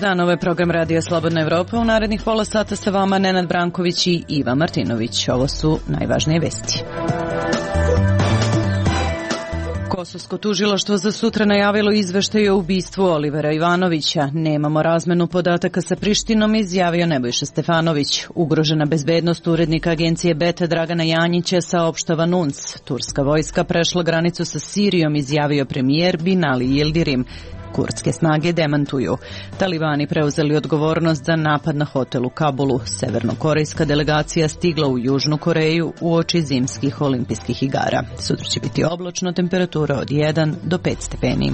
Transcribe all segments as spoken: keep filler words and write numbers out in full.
Dobar dan, ovo je program Radija Slobodna Evropa. U narednih pola sata sa vama Nenad Branković i Iva Martinović. Ovo su najvažnije vesti. Kosovsko tužilaštvo za sutra najavilo izveštaj o ubistvu Olivera Ivanovića. Nemamo razmenu podataka sa Prištinom, izjavio Nebojša Stefanović. Ugrožena bezbednost urednika agencije Beta Dragana Janjića, saopštava N U N S. Turska vojska prešla granicu sa Sirijom, izjavio premijer Binali Yildirim. Kurdske snage demantuju. Talibani preuzeli odgovornost za napad na hotel u Kabulu. Severnokorejska delegacija stigla u Južnu Koreju uoči zimskih olimpijskih igara. Sutra će biti oblačno, temperatura od jedan do pet stepeni.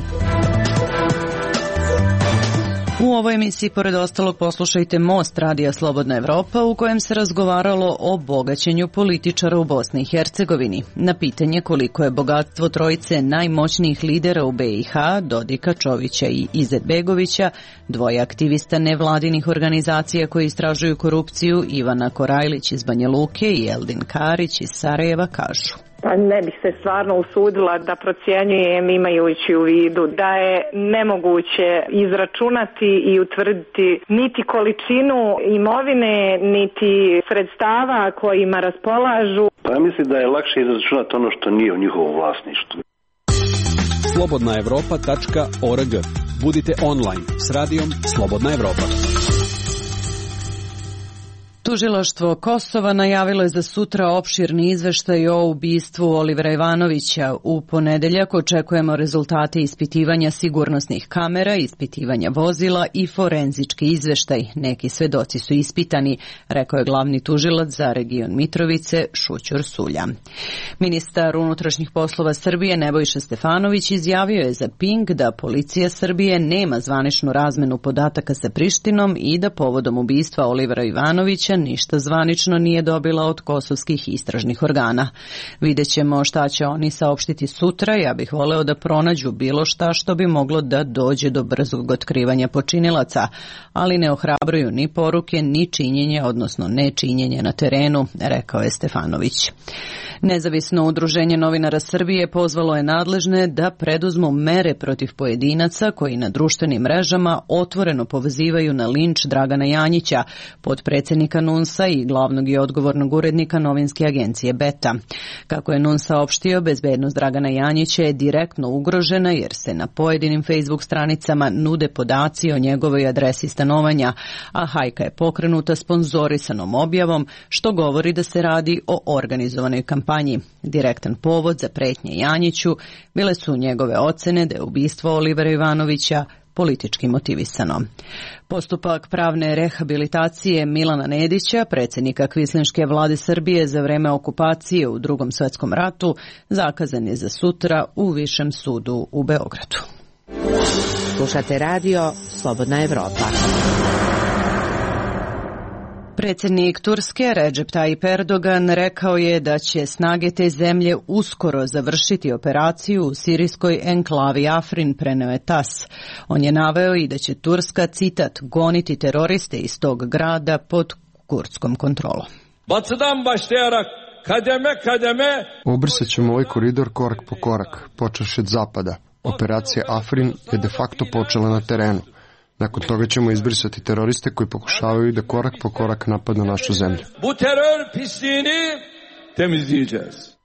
U ovoj emisiji, pored ostalog, poslušajte Most Radija Slobodna Evropa, u kojem se razgovaralo o bogaćenju političara u Bosni i Hercegovini. Na pitanje koliko je bogatstvo trojice najmoćnijih lidera u be i ha, Dodika, Čovića i Izetbegovića, dvoje aktivista nevladinih organizacija koji istražuju korupciju, Ivana Korajlić iz Banja Luke i Eldin Karić iz Sarajeva, kažu. Pa ne bih se stvarno usudila da procjenjujem imajući u vidu da je nemoguće izračunati i utvrditi niti količinu imovine, niti sredstava kojima raspolažu. Pa ja mislim da je lakše izračunati ono što nije u njihovom vlasništvu. slobodna evropa tačka org. Budite online s radijom Slobodna Evropa. Tužilaštvo Kosova najavilo je za sutra opširni izveštaj o ubistvu Olivera Ivanovića. U ponedeljak očekujemo rezultate ispitivanja sigurnosnih kamera, ispitivanja vozila i forenzički izveštaj. Neki svedoci su ispitani, rekao je glavni tužilac za region Mitrovice Šućur Sulja. Ministar unutrašnjih poslova Srbije Nebojša Stefanović izjavio je za Pink da policija Srbije nema zvaničnu razmenu podataka sa Prištinom i da povodom ubistva Olivera Ivanovića ništa zvanično nije dobila od kosovskih istražnih organa. Vidjet ćemo šta će oni saopštiti sutra. Ja bih voleo da pronađu bilo šta što bi moglo da dođe do brzog otkrivanja počinilaca, ali ne ohrabruju ni poruke, ni činjenje, odnosno nečinjenje na terenu, rekao je Stefanović. Nezavisno udruženje novinara Srbije pozvalo je nadležne da preduzmu mere protiv pojedinaca koji na društvenim mrežama otvoreno pozivaju na linč Dragana Janjića, potpredsjednika N U N S-a i glavnog i odgovornog urednika novinske agencije Beta. Kako je N U N S saopštio, bezbednost Dragana Janjića je direktno ugrožena jer se na pojedinim Facebook stranicama nude podaci o njegovoj adresi stanovanja, a hajka je pokrenuta sponzorisanom objavom, što govori da se radi o organizovanoj kampanji. Direktan povod za pretnje Janjiću bile su njegove ocene da je ubistvo Olivera Ivanovića politički motivisano. Postupak pravne rehabilitacije Milana Nedića, predsjednika kvislinške vlade Srbije za vreme okupacije u Drugom svjetskom ratu, zakazan je za sutra u Višem sudu u Beogradu. Slušate radio Slobodna Evropa. Predsjednik Turske Recep Tayyip Erdogan rekao je da će snage te zemlje uskoro završiti operaciju u sirijskoj enklavi Afrin, preneo je tas. On je naveo i da će Turska, citat, goniti teroriste iz tog grada pod kurdskom kontrolom. Batıdan başlayarak kademe kademe Obrisat ćemo ovaj koridor korak po korak, počevši od zapada. Operacija Afrin je de facto počela na terenu. Nakon toga ćemo izbrisati teroriste koji pokušavaju da korak po korak napadnu našu zemlju. Bu terör pisliğini temizleyeceğiz.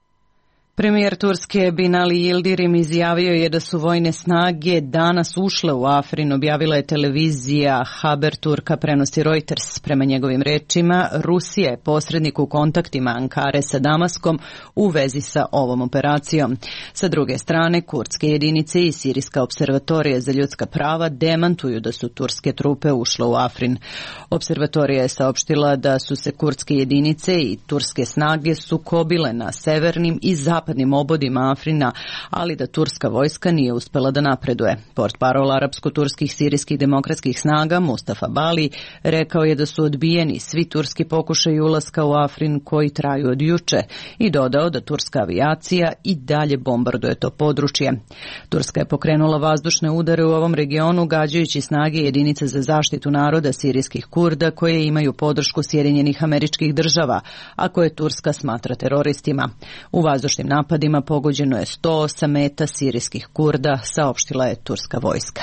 Premijer Turske Binali Yildirim izjavio je da su vojne snage danas ušle u Afrin, objavila je televizija Haber Turka, prenosi Reuters. Prema njegovim rečima, Rusija je posrednik u kontaktima Ankare sa Damaskom u vezi sa ovom operacijom. Sa druge strane, kurdske jedinice i Sirijska observatorija za ljudska prava demantuju da su turske trupe ušle u Afrin. Observatorija je saopštila da su se kurdske jedinice i turske snage sukobile na severnim i zapadnim obodima Afrina, ali da turska vojska nije uspela da napreduje. Portparol arapsko-turskih sirijskih demokratskih snaga Mustafa Bali rekao je da su odbijeni svi turski pokušaji ulaska u Afrin koji traju od juče i dodao da turska avijacija i dalje bombarduje to područje. Turska je pokrenula vazdušne udare u ovom regionu gađajući snage jedinice za zaštitu naroda sirijskih Kurda koje imaju podršku Sjedinjenih Američkih Država, a koje Turska smatra teroristima. U vazdušnim napadima pogođeno je sto osam meta sirijskih Kurda, saopštila je turska vojska.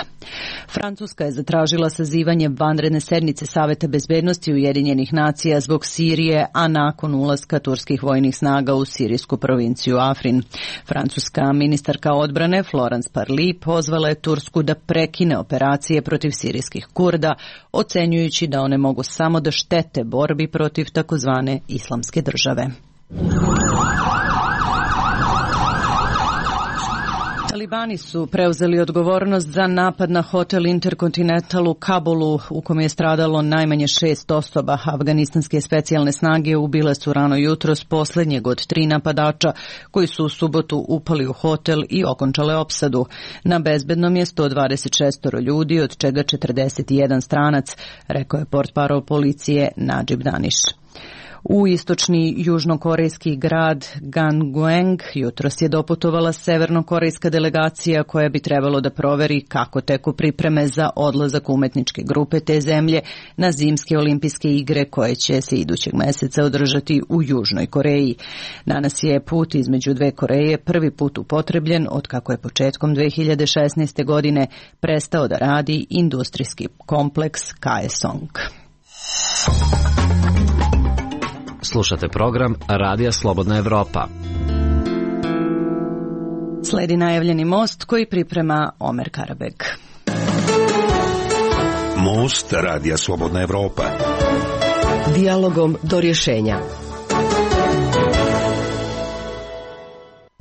Francuska je zatražila sazivanje vanredne sednice Saveta bezbednosti Ujedinjenih nacija zbog Sirije, a nakon ulaska turskih vojnih snaga u sirijsku provinciju Afrin. Francuska ministarka odbrane Florence Parly pozvala je Tursku da prekine operacije protiv sirijskih Kurda, ocenjujući da one mogu samo da štete borbi protiv takozvane islamske države. Talibani su preuzeli odgovornost za napad na hotel Intercontinental u Kabulu, u kom je stradalo najmanje šest osoba. Afganistanske specijalne snage ubile su rano jutros posljednjeg od tri napadača koji su u subotu upali u hotel i okončale opsadu. Na bezbednom je sto dvadeset šest ljudi, od čega četrdeset jedan stranac, rekao je portparol policije Najib Daniš. U istočni južnokorejski grad Gangwon jutros je doputovala severnokorejska delegacija koja bi trebalo da proveri kako teku pripreme za odlazak umetničke grupe te zemlje na zimske olimpijske igre koje će se idućeg meseca održati u Južnoj Koreji. Danas je put između dve Koreje prvi put upotrebljen od kako je početkom dve hiljade šesnaeste. godine prestao da radi industrijski kompleks Kaesong. Slušate program Radija Slobodna Evropa. Sledi najavljeni most koji priprema Omer Karabeg. Most Radija Slobodna Evropa. Dijalogom do rješenja.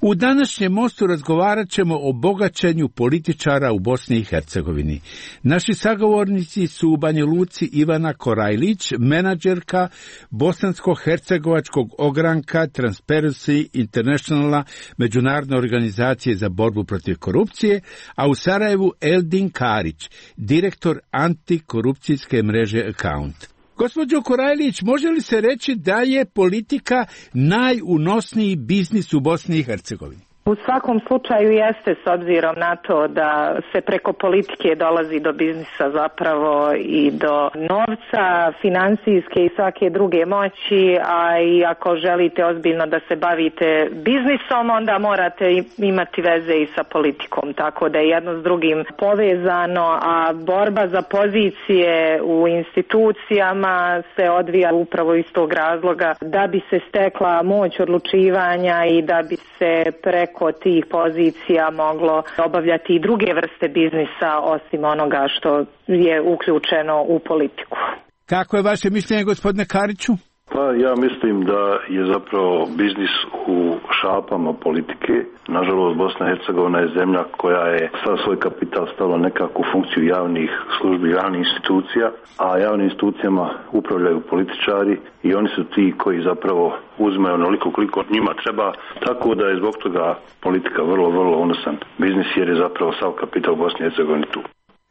U današnjem mostu razgovarat ćemo o bogaćenju političara u Bosni i Hercegovini. Naši sagovornici su u Banja Luci Ivana Korajlić, menadžerka bosansko-hercegovačkog ogranka Transparency Internationala, međunarodne organizacije za borbu protiv korupcije, a u Sarajevu Eldin Karić, direktor antikorupcijske mreže Account. Gospođo Korajlić, može li se reći da je politika najunosniji biznis u Bosni i Hercegovini? U svakom slučaju jeste, s obzirom na to da se preko politike dolazi do biznisa zapravo i do novca, financijske i svake druge moći, a i ako želite ozbiljno da se bavite biznisom, onda morate imati veze i sa politikom, tako da je jedno s drugim povezano, a borba za pozicije u institucijama se odvija upravo iz tog razloga da bi se stekla moć odlučivanja i da bi se preko kod tih pozicija moglo obavljati i druge vrste biznisa osim onoga što je uključeno u politiku. Kako je vaše mišljenje, gospodine Kariću? Pa ja mislim da je zapravo biznis u šapama politike. Nažalost, Bosna i Hercegovina je zemlja koja je sav svoj kapital stavila nekakvu funkciju javnih službi, javnih institucija, a javnim institucijama upravljaju političari i oni su ti koji zapravo uzmeju onoliko koliko njima treba, tako da je zbog toga politika vrlo, vrlo unosan biznis jer je zapravo sav kapital u Bosni i Hercegovini tu.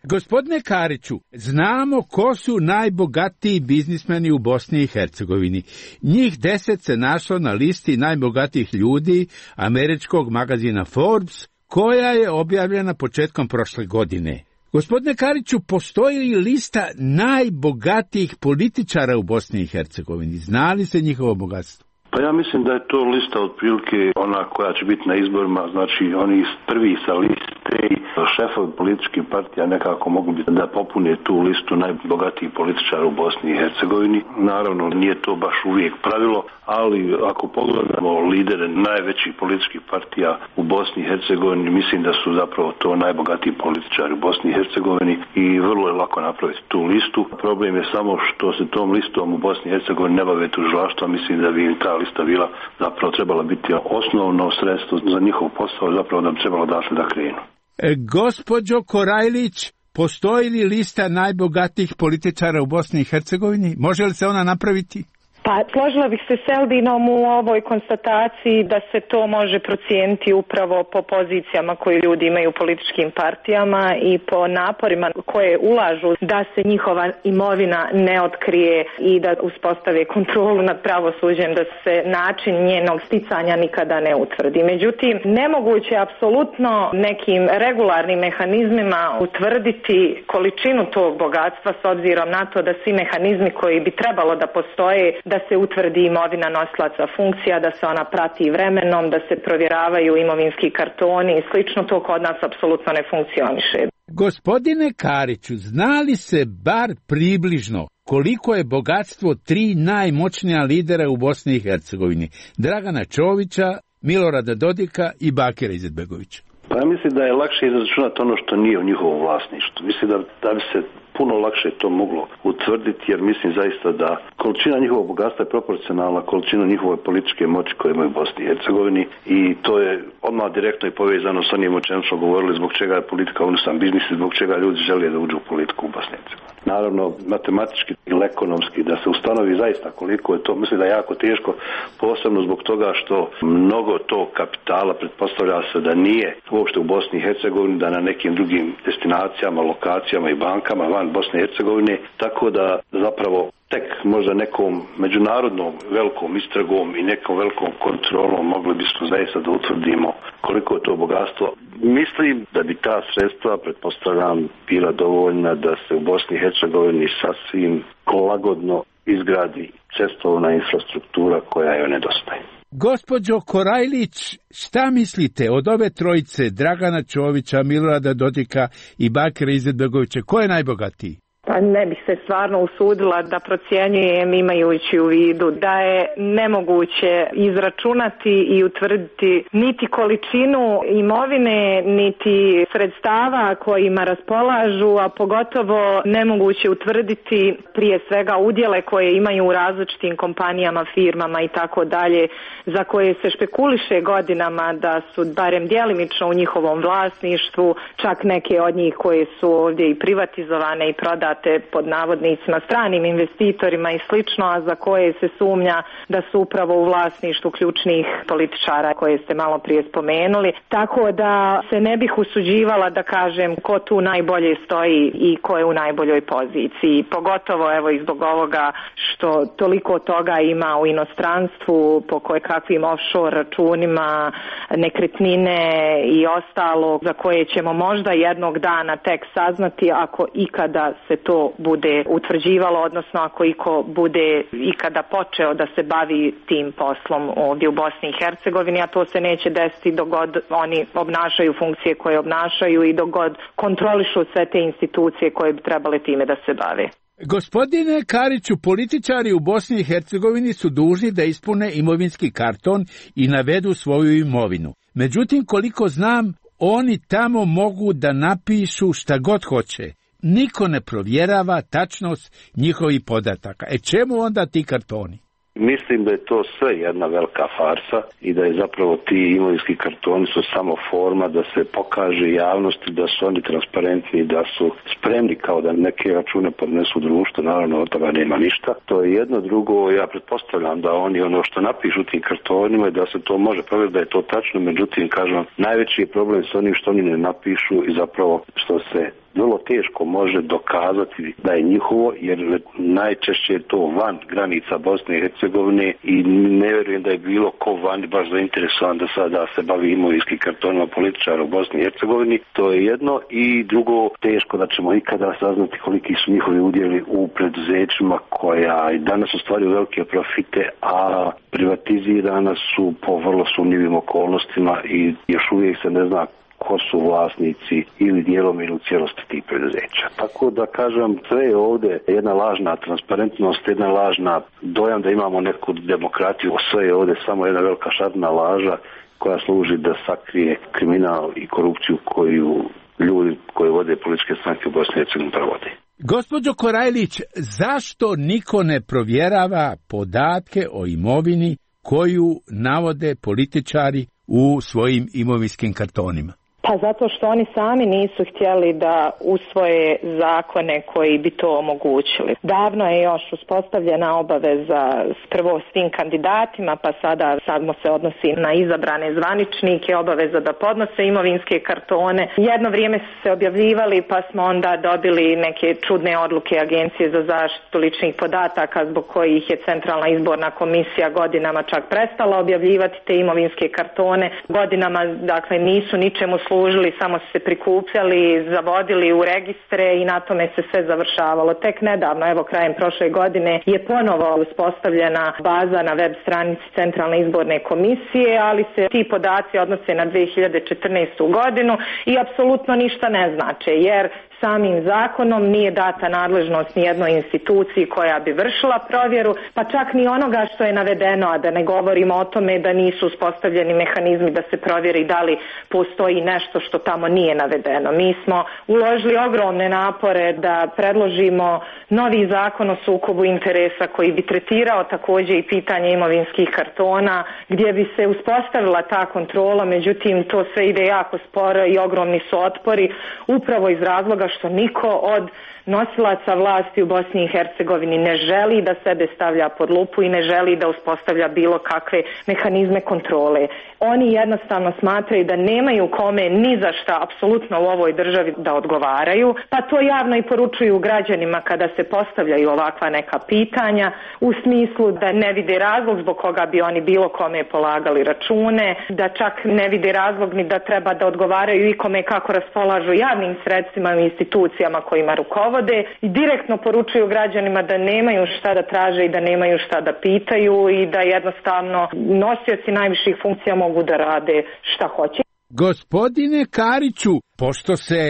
Gospodine Kariću, znamo ko su najbogatiji biznismeni u Bosni i Hercegovini. Njih deset se našlo na listi najbogatijih ljudi američkog magazina Forbes, koja je objavljena početkom prošle godine. Gospodine Kariću, postoji li lista najbogatijih političara u Bosni i Hercegovini? Zna li se njihovo bogatstvo? Pa ja mislim da je to lista otprilike ona koja će biti na izborima, znači oni prvi sa liste i šefovi političkih partija nekako mogu biti da popune tu listu najbogatijih političara u Bosni i Hercegovini. Naravno, nije to baš uvijek pravilo, ali ako pogledamo lidere najvećih političkih partija u Bosni i Hercegovini, mislim da su zapravo to najbogatiji političari u Bosni i Hercegovini i vrlo je lako napraviti tu listu. Problem je samo što se tom listom u Bosni i Hercegovini ne bave tužilaštva, mislim da bi im ta lista bila zapravo trebala biti osnovno sredstvo za njihov posao, zapravo da bi trebalo dašli da krenu. E, gospođo Korajlić, postoji li lista najbogatijih političara u Bosni i Hercegovini? Može li se ona napraviti? Pa složila bih se s Eldinom u ovoj konstataciji da se to može procijeniti upravo po pozicijama koje ljudi imaju u političkim partijama i po naporima koje ulažu da se njihova imovina ne otkrije i da uspostave kontrolu nad pravosuđem, da se način njenog sticanja nikada ne utvrdi. Međutim, nemoguće je apsolutno nekim regularnim mehanizmima utvrditi količinu tog bogatstva s obzirom na to da svi mehanizmi koji bi trebalo da postoje da da se utvrdi imovina nosilaca funkcija, da se ona prati vremenom, da se provjeravaju imovinski kartoni i slično. To kod nas apsolutno ne funkcioniše. Gospodine Kariću, zna li se bar približno koliko je bogatstvo tri najmoćnija lidera u Bosni i Hercegovini? Dragana Čovića, Milorada Dodika i Bakira Izetbegovića. Pa ja mislim da je lakše izračunati ono što nije u njihovom vlasništvu. Mislim da, da bi se puno lakše to moglo utvrditi, jer mislim zaista da količina njihovog bogatstva je proporcionalna količina njihove političke moći koje imaju u Bosni i Hercegovini i to je odmah direktno i povezano sa onim o čemu smo govorili, zbog čega je politika unosan biznis i zbog čega ljudi žele da uđu u politiku u Bosni i Hercegovini. Naravno, matematički ili ekonomski da se ustanovi zaista koliko je to, mislim da je jako teško, posebno zbog toga što mnogo tog kapitala pretpostavlja se da nije uopšte u Bosni i Hercegovini, da na nekim drugim destinacijama, lokacijama i bankama van Bosne i Hercegovine, tako da zapravo tek možda nekom međunarodnom velikom istragom i nekom velikom kontrolom mogli bismo zaista da utvrdimo koliko je to bogatstvo. Mislim da bi ta sredstva, pretpostavljam, bila dovoljna da se u Bosni i Hercegovini sasvim lagodno izgradi cestovna infrastruktura koja joj nedostaje. Gospođo Korajlić, šta mislite od ove trojice, Dragana Čovića, Milorada Dodika i Bakira Izetbegovića, ko je najbogatiji? Pa ne bih se stvarno usudila da procjenjujem imajući u vidu da je nemoguće izračunati i utvrditi niti količinu imovine, niti sredstava kojima raspolažu, a pogotovo nemoguće utvrditi prije svega udjele koje imaju u različitim kompanijama, firmama i tako dalje, za koje se špekuliše godinama da su barem djelimično u njihovom vlasništvu, čak neke od njih koje su ovdje i privatizovane i prodate pod navodnicima stranim investitorima i slično, a za koje se sumnja da su upravo u vlasništvu ključnih političara koje ste malo prije spomenuli. Tako da se ne bih usuđivala da kažem ko tu najbolje stoji i ko je u najboljoj poziciji. Pogotovo evo i zbog ovoga što toliko toga ima u inostranstvu po koje kakvim offshore računima, nekretnine i ostalo za koje ćemo možda jednog dana tek saznati ako ikada se to bude utvrđivalo, odnosno ako iko bude ikada počeo da se bavi tim poslom ovdje u Bosni i Hercegovini, a to se neće desiti dok god oni obnašaju funkcije koje obnašaju i dok god kontrolišu sve te institucije koje bi trebale time da se bave. Gospodine Kariću, političari u Bosni i Hercegovini su dužni da ispune imovinski karton i navedu svoju imovinu. Međutim, koliko znam, oni tamo mogu da napišu šta god hoće. Niko ne provjerava tačnost njihovih podataka. E čemu onda ti kartoni? Mislim da je to sve jedna velika farsa i da je zapravo ti imovinski kartoni su samo forma da se pokaže javnosti da su oni transparentni, da su spremni kao da neke račune podnesu društvo, naravno od toga nema ništa. To je jedno. Drugo, ja pretpostavljam da oni ono što napišu tim kartonima da se to može provjeriti da je to tačno, međutim, kažem, najveći je problem s onim što oni ne napišu i zapravo što se vrlo teško može dokazati da je njihovo, jer najčešće je to van granica Bosne i Hercegovine i ne vjerujem da je bilo ko vani baš zainteresovan da sada se bavi imovinskim kartonima političara u Bosni i Hercegovini. To je jedno. I drugo, teško da ćemo ikada saznati koliki su njihovi udjeli u preduzećima koja i danas ostvaruju velike profite, a privatizirana su po vrlo sumnjivim okolnostima i još uvijek se ne zna ko su vlasnici ili dijelom ili u cijelosti tih preduzeća. Tako da kažem, sve je ovdje jedna lažna transparentnost, jedna lažna dojam da imamo neku demokratiju, sve je ovdje samo jedna velika šarna laža koja služi da sakrije kriminal i korupciju koju ljudi koji vode političke stranke u Bosni i Hercegovini provode. Gospođo Korajlić, zašto niko ne provjerava podatke o imovini koju navode političari u svojim imovinskim kartonima? Pa zato što oni sami nisu htjeli da usvoje zakone koji bi to omogućili. Davno je još uspostavljena obaveza prvo svim kandidatima, pa sada samo se odnosi na izabrane zvaničnike, obaveza da podnose imovinske kartone. Jedno vrijeme su se objavljivali, pa smo onda dobili neke čudne odluke Agencije za zaštitu ličnih podataka zbog kojih je Centralna izborna komisija godinama čak prestala objavljivati te imovinske kartone. Godinama, dakle, nisu ničemu služili služili, samo su se prikupljali, zavodili u registre i na tome se sve završavalo. Tek nedavno, evo krajem prošle godine, je ponovo uspostavljena baza na web stranici Centralne izborne komisije, ali se ti podaci odnose na dve hiljade četrnaestu godinu i apsolutno ništa ne znače, jer samim zakonom nije data nadležnost ni jednoj instituciji koja bi vršila provjeru, pa čak ni onoga što je navedeno, a da ne govorimo o tome da nisu uspostavljeni mehanizmi da se provjeri da li postoji nešto što tamo nije navedeno. Mi smo uložili ogromne napore da predložimo novi zakon o sukobu interesa koji bi tretirao također i pitanje imovinskih kartona, gdje bi se uspostavila ta kontrola, međutim to sve ide jako sporo i ogromni su otpori, upravo iz razloga što niko od nosilaca vlasti u Bosni i Hercegovini ne želi da sebe stavlja pod lupu i ne želi da uspostavlja bilo kakve mehanizme kontrole. Oni jednostavno smatraju da nemaju kome ni za šta apsolutno u ovoj državi da odgovaraju, pa to javno i poručuju građanima kada se postavljaju ovakva neka pitanja, u smislu da ne vide razlog zbog koga bi oni bilo kome polagali račune, da čak ne vide razlog ni da treba da odgovaraju ikome kako raspolažu javnim sredstvima i institucijama kojima rukovode i direktno poručuju građanima da nemaju šta da traže i da nemaju šta da pitaju i da jednostavno nosioci najviših funkcija mogu da rade šta hoće. Gospodine Kariću, pošto se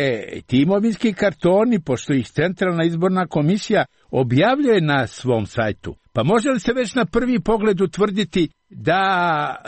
ti imovinski kartoni, pošto ih Centralna izborna komisija objavljuje na svom sajtu, pa može li se već na prvi pogled utvrditi da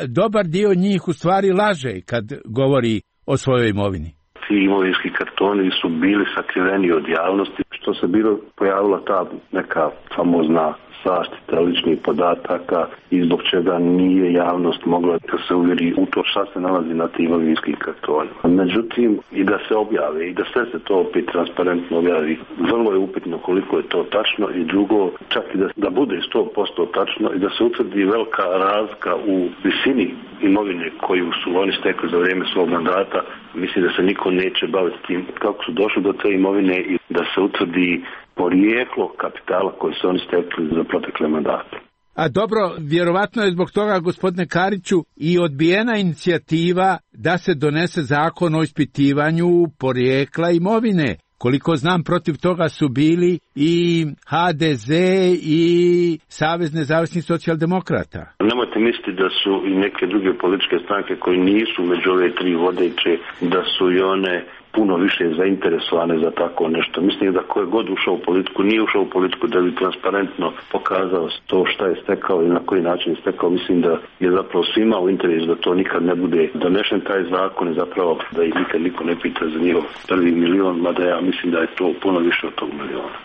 dobar dio njih u stvari laže kad govori o svojoj imovini? Ti imovinski kartoni su bili sakriveni od javnosti, što se bilo pojavila ta neka famozna zaštita ličnih podataka i zbog čega nije javnost mogla da se uvjeri u to šta se nalazi na tim imovinskim kartonima. Međutim, i da se objave i da sve se to opet transparentno objavi, vrlo je upitno koliko je to tačno i drugo, čak i da, da bude sto posto tačno i da se utvrdi velika razlika u visini imovine koju su oni stekli za vrijeme svog mandata. Mislim da se niko neće baviti tim kako su došli do te imovine i da se utvrdi porijeklo kapitala koji su oni stekli za protekle mandate. A dobro, vjerovatno je zbog toga, gospodine Kariću, i odbijena inicijativa da se donese zakon o ispitivanju porijekla imovine. Koliko znam, protiv toga su bili i ha de ze i Savez nezavisnih socijaldemokrata. Nemojte misliti da su i neke druge političke stranke koji nisu među ove tri vodeće, da su i one puno više zainteresovane za tako nešto. Mislim da ko je god ušao u politiku, nije ušao u politiku da bi transparentno pokazao to šta je stekao i na koji način je stekao. Mislim da je zapravo svima u interesu da to nikad ne bude donešen taj zakon i zapravo da ih nikad niko ne pita za njihov prvi milion, mada ja mislim da je to puno više od tog miliona.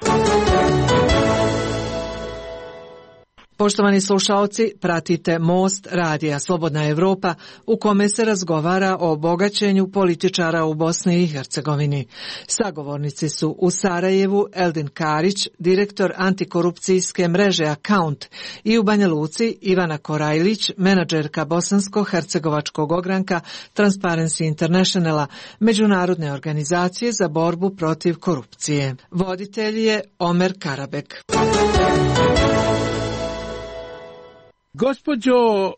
Poštovani slušaoci, pratite Most radija Slobodna Evropa u kome se razgovara o bogaćenju političara u Bosni i Hercegovini. Sagovornici su u Sarajevu Eldin Karić, direktor antikorupcijske mreže Account, i u Banja Luci Ivana Korajlić, menadžerka bosansko-hercegovačkog ogranka Transparency Internationala, međunarodne organizacije za borbu protiv korupcije. Voditelj je Omer Karabek. Gospođo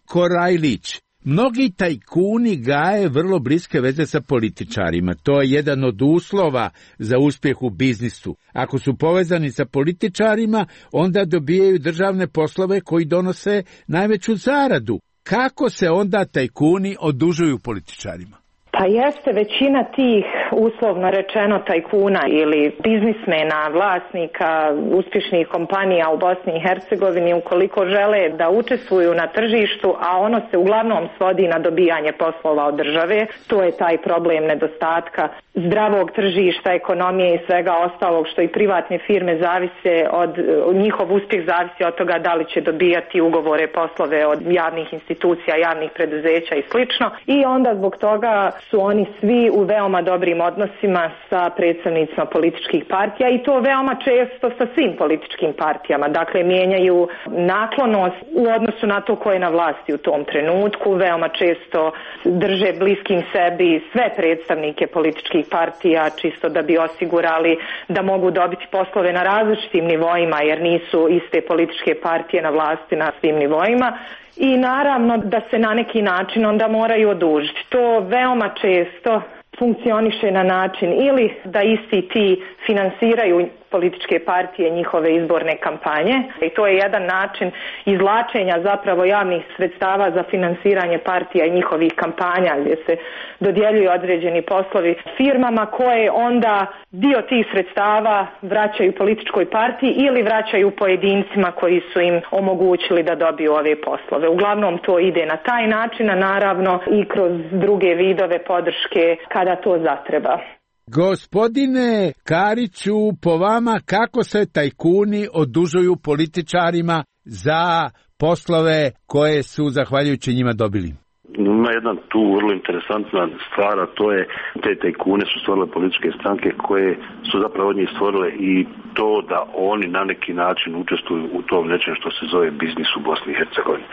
Korajlić, mnogi tajkuni gaje vrlo bliske veze sa političarima. To je jedan od uslova za uspjeh u biznisu. Ako su povezani sa političarima, onda dobijaju državne poslove koji donose najveću zaradu. Kako se onda tajkuni odužuju političarima? Pa jeste, većina tih uslovno rečeno tajkuna ili biznismena, vlasnika uspješnih kompanija u Bosni i Hercegovini, ukoliko žele da učestvuju na tržištu, a ono se uglavnom svodi na dobijanje poslova od države, to je taj problem nedostatka zdravog tržišta, ekonomije i svega ostalog što i privatne firme zavise od, njihov uspjeh zavisi od toga da li će dobijati ugovore, poslove od javnih institucija, javnih preduzeća i slično. I onda zbog toga su oni svi u veoma dobrim odnosima sa predstavnicima političkih partija i to veoma često sa svim političkim partijama. Dakle, mijenjaju naklonost u odnosu na to ko je na vlasti u tom trenutku, veoma često drže bliskim sebi sve predstavnike političkih partija, čisto da bi osigurali da mogu dobiti poslove na različitim nivoima, jer nisu iste političke partije na vlasti na svim nivoima. I naravno da se na neki način onda moraju odužiti. To veoma često funkcioniše na način ili da isti ti finansiraju političke partije, njihove izborne kampanje. I to je jedan način izvlačenja zapravo javnih sredstava za finansiranje partija i njihovih kampanja, gdje se dodjeljuju određeni poslovi firmama koje onda dio tih sredstava vraćaju političkoj partiji ili vraćaju pojedincima koji su im omogućili da dobiju ove poslove. Uglavnom to ide na taj način, a naravno i kroz druge vidove podrške kada to zatreba. Gospodine Kariću, po vama kako se tajkuni odužuju političarima za poslove koje su zahvaljujući njima dobili? Ima jedna tu vrlo interesantna stvar, a to je te tajkune su stvorile političke stranke koje su zapravo od njih stvorile i to da oni na neki način učestvuju u tom nečem što se zove biznis u Bosni i Hercegovini.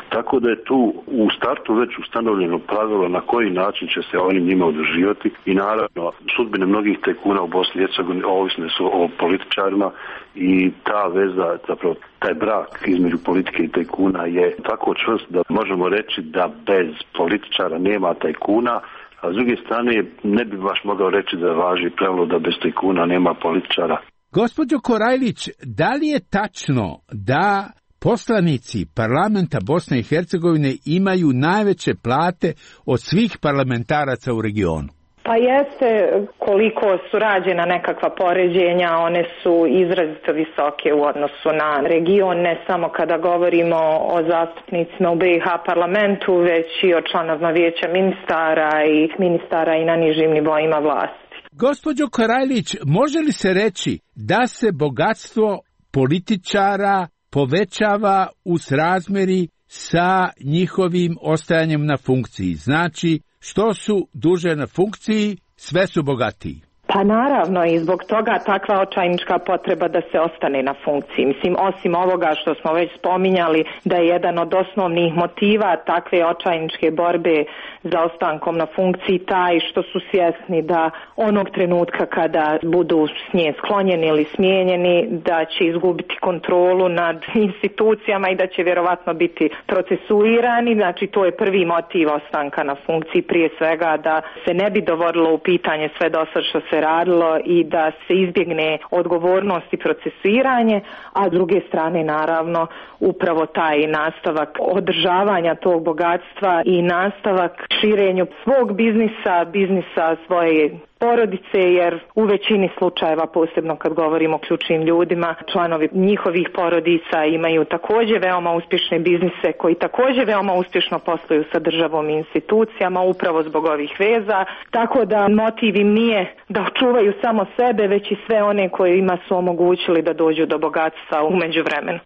Tako da je tu u startu već ustanovljeno pravilo na koji način će se oni njima udruživati i naravno sudbine mnogih tajkuna u Bosni i Hercegovini ovisne su o političarima i ta veza, zapravo taj brak između politike i tajkuna je tako čvrst da možemo reći da bez političara nema tajkuna, a s druge strane ne bi baš mogao reći da važi pravilo da bez tajkuna nema političara. Gospođo Korajlić, da li je tačno da poslanici parlamenta Bosne i Hercegovine imaju najveće plate od svih parlamentaraca u regionu? Pa jeste, koliko su rađena nekakva poređenja, one su izrazito visoke u odnosu na region, ne samo kada govorimo o zastupnicima u B i H parlamentu, već i o članovima vijeća ministara i ministara i na nižim nivoima vlasti. Gospođo Korajlić, može li se reći da se bogatstvo političara povećava u srazmeri sa njihovim ostajanjem na funkciji? Znači, što su duže na funkciji, sve su bogatiji. Pa naravno i zbog toga takva očajnička potreba da se ostane na funkciji. Mislim, osim ovoga što smo već spominjali da je jedan od osnovnih motiva takve očajničke borbe za ostankom na funkciji taj što su svjesni da onog trenutka kada budu s nje sklonjeni ili smijenjeni da će izgubiti kontrolu nad institucijama i da će vjerovatno biti procesuirani. Znači to je prvi motiv ostanka na funkciji, prije svega da se ne bi dovodilo u pitanje sve dosad što se radilo i da se izbjegne odgovornost i procesuiranje, a s druge strane naravno upravo taj nastavak održavanja tog bogatstva i nastavak širenju svog biznisa, biznisa svoje porodice, jer u većini slučajeva, posebno kad govorimo o ključnim ljudima, članovi njihovih porodica imaju također veoma uspješne biznise koji također veoma uspješno posluju sa državom i institucijama upravo zbog ovih veza, tako da motiv im nije da očuvaju samo sebe, već i sve one kojima su omogućili da dođu do bogatstva u međuvremenu.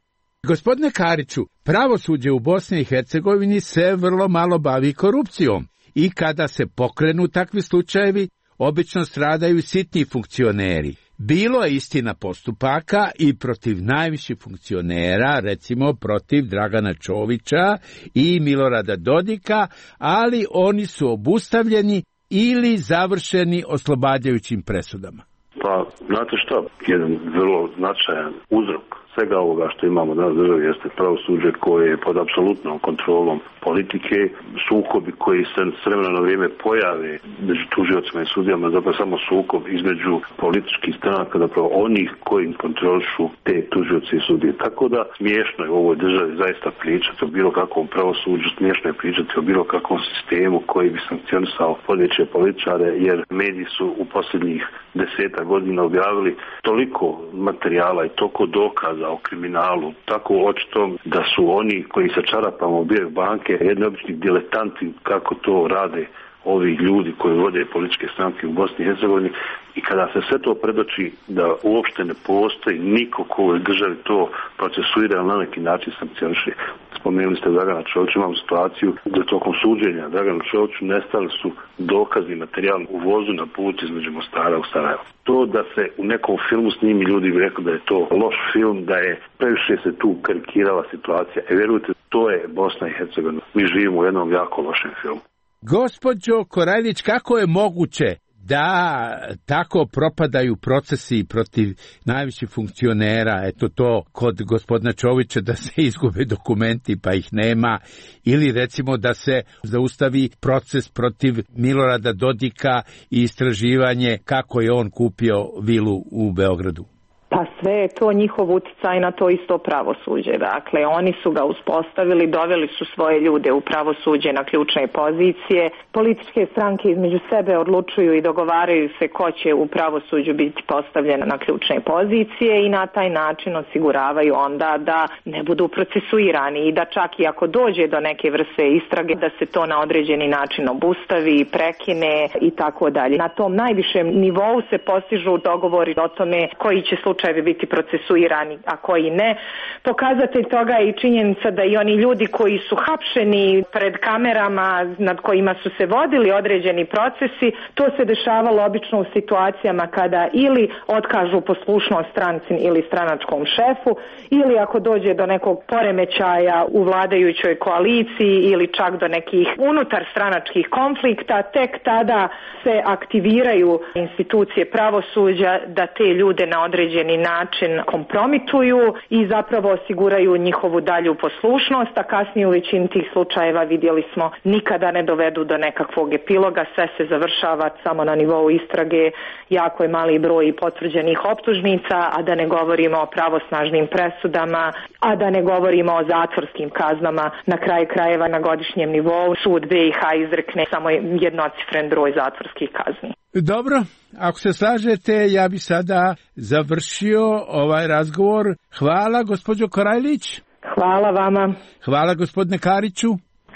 Gospodine Kariću, pravosuđe u Bosni i Hercegovini se vrlo malo bavi korupcijom i kada se pokrenu takvi slučajevi, obično stradaju sitni funkcioneri. Bilo je istina postupaka i protiv najviših funkcionera, recimo protiv Dragana Čovića i Milorada Dodika, ali oni su obustavljeni ili završeni oslobađajućim presudama. Pa, znate što, jedan vrlo značajan uzrok svega ovoga što imamo danas u državi jeste pravosuđe koje je pod apsolutnom kontrolom politike, sukobi koji se s vremena na vrijeme pojave među tužiocima i sudijama, zapravo samo sukob između političkih stranaka, zapravo onih koji kontrolišu te tužioce i sudije. Tako da smiješno je u ovoj državi zaista pričati o bilo kakvom pravosuđu, smiješno je pričati o bilo kakvom sistemu koji bi sankcionisao vodeće političare, jer mediji su u posljednjih deseta godina objavili toliko materijala i toliko dokaza o kriminalu, tako očito da su oni koji sa čarapama ubijaju banke jedni obični diletanti kako to rade ovi ljudi koji vode političke stranke u Bosni i Hercegovini i kada se sve to predoči da uopšte ne postoji niko ko u ovoj državi to procesuira na neki način sankcioniše. Spomenuli ste Dragana Čovića, imamo situaciju da tokom suđenja Draganu Čoviću nestali su dokazni materijal u vozu na put između Mostara u Sarajevo. To da se u nekom filmu snimi, ljudi bi rekli da je to loš film, da je previše se tu karikirala situacija. E vjerujte, to je Bosna i Hercegovina. Mi živimo u jednom jako lošem filmu. Gospođo Korajlić, kako je moguće da tako propadaju procesi protiv najviših funkcionera, eto to kod gospodina Čovića da se izgube dokumenti pa ih nema, ili recimo da se zaustavi proces protiv Milorada Dodika i istraživanje kako je on kupio vilu u Beogradu. Pa sve je to njihov uticaj na to isto pravosuđe. Dakle, oni su ga uspostavili, doveli su svoje ljude u pravosuđe na ključne pozicije. Političke stranke između sebe odlučuju i dogovaraju se ko će u pravosuđu biti postavljen na ključne pozicije i na taj način osiguravaju onda da ne budu procesuirani i da čak i ako dođe do neke vrste istrage da se to na određeni način obustavi, prekine i tako dalje. Na tom najvišem nivou se postižu dogovori o tome koji će slučaj bi biti procesuirani, a koji ne. Pokazatelj toga je i činjenica da i oni ljudi koji su hapšeni pred kamerama nad kojima su se vodili određeni procesi, to se dešavalo obično u situacijama kada ili otkažu poslušnost stranci ili stranačkom šefu, ili ako dođe do nekog poremećaja u vladajućoj koaliciji ili čak do nekih unutar stranačkih konflikta, tek tada se aktiviraju institucije pravosuđa da te ljude na određeni način kompromituju i zapravo osiguraju njihovu dalju poslušnost, a kasnije u većini tih slučajeva vidjeli smo nikada ne dovedu do nekakvog epiloga, sve se završava samo na nivou istrage, jako je mali broj potvrđenih optužnica, a da ne govorimo o pravosnažnim presudama, a da ne govorimo o zatvorskim kaznama. Na kraju krajeva na godišnjem nivou sud B i H izrekne samo jednocifren broj zatvorskih kazni. Dobro, ako se slažete, ja bi sada završio ovaj razgovor. Hvala, gospođo Korajlić. Hvala vama. Hvala, gospodine Kariću.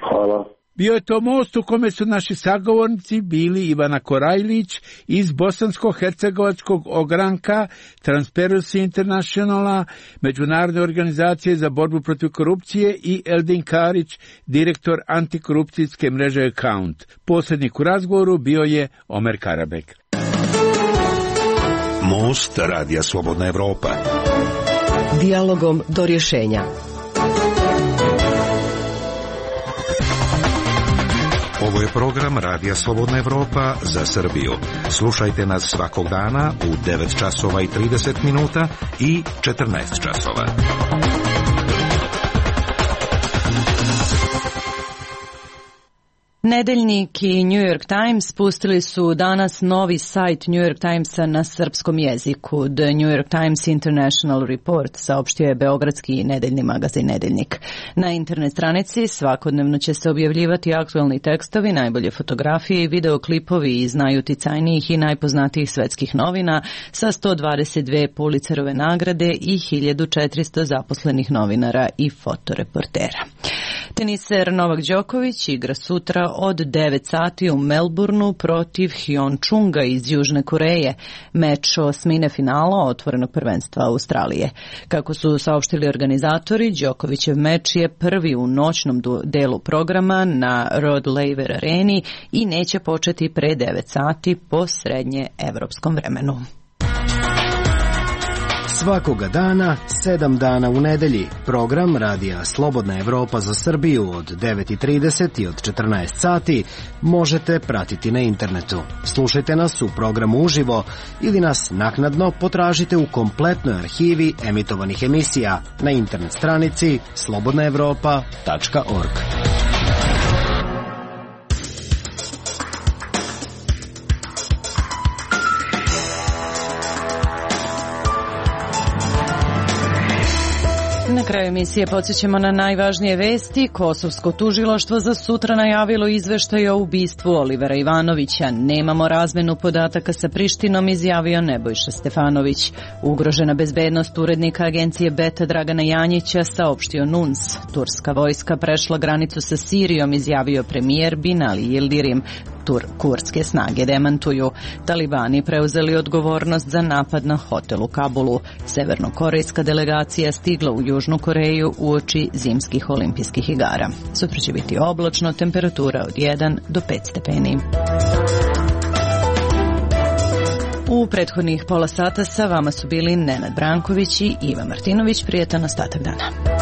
Hvala. Bio je to most u kome su naši sagovornici bili Ivana Korajlić iz Bosansko-hercegovačkog ogranka Transparency Internationala, Međunarodne organizacije za borbu protiv korupcije, i Eldin Karić, direktor antikorupcijske mreže Account. Posrednik u razgovoru bio je Omer Karabek. Most Radija Slobodna Evropa. Dijalogom do rješenja. Ovo je program Radija Slobodna Evropa za Srbiju. Slušajte nas svakog dana u devet časova i trideset minuta i četrnaest časova. Nedeljnik i New York Times pustili su danas novi sajt New York Timesa na srpskom jeziku. The New York Times International Report saopštio je beogradski nedeljni magazin Nedeljnik. Na internet stranici svakodnevno će se objavljivati aktualni tekstovi, najbolje fotografije i videoklipovi iz najuticajnijih i najpoznatijih svetskih novina sa sto dvadeset dve Pulitzerove nagrade i hiljadu četiristo zaposlenih novinara i fotoreportera. Teniser Novak Đoković igra sutra od devet sati u Melbourneu protiv Hyun Chunga iz Južne Koreje, meč osmine finala otvorenog prvenstva Australije. Kako su saopštili organizatori, Đokovićev meč je prvi u noćnom delu programa na Rod Laver areni i neće početi pre devet sati po srednje evropskom vremenu. Svakoga dana, sedam dana u nedelji, program Radija Slobodna Evropa za Srbiju od devet i trideset i od četrnaest sati možete pratiti na internetu. Slušajte nas u programu uživo ili nas naknadno potražite u kompletnoj arhivi emitovanih emisija na internet stranici slobodna evropa tačka org. Na kraju emisije podsjećamo na najvažnije vesti. Kosovsko tužilaštvo za sutra najavilo izveštaj o ubistvu Olivera Ivanovića. Nemamo razmenu podataka sa Prištinom, izjavio Nebojša Stefanović. Ugrožena bezbednost urednika agencije Beta Dragana Janjića, saopštio N U N S. Turska vojska prešla granicu sa Sirijom, izjavio premijer Binali Yildirim. Tur kurdske snage demantuju. Talibani preuzeli odgovornost za napad na hotel u Kabulu. Severnokorejska delegacija stigla u Južnu Koreju uoči zimskih olimpijskih igara. Sutra će biti oblačno, temperatura od jedan do pet stepeni. U prethodnih pola sata sa vama su bili Nenad Branković i Iva Martinović. Prijetan ostatak dana.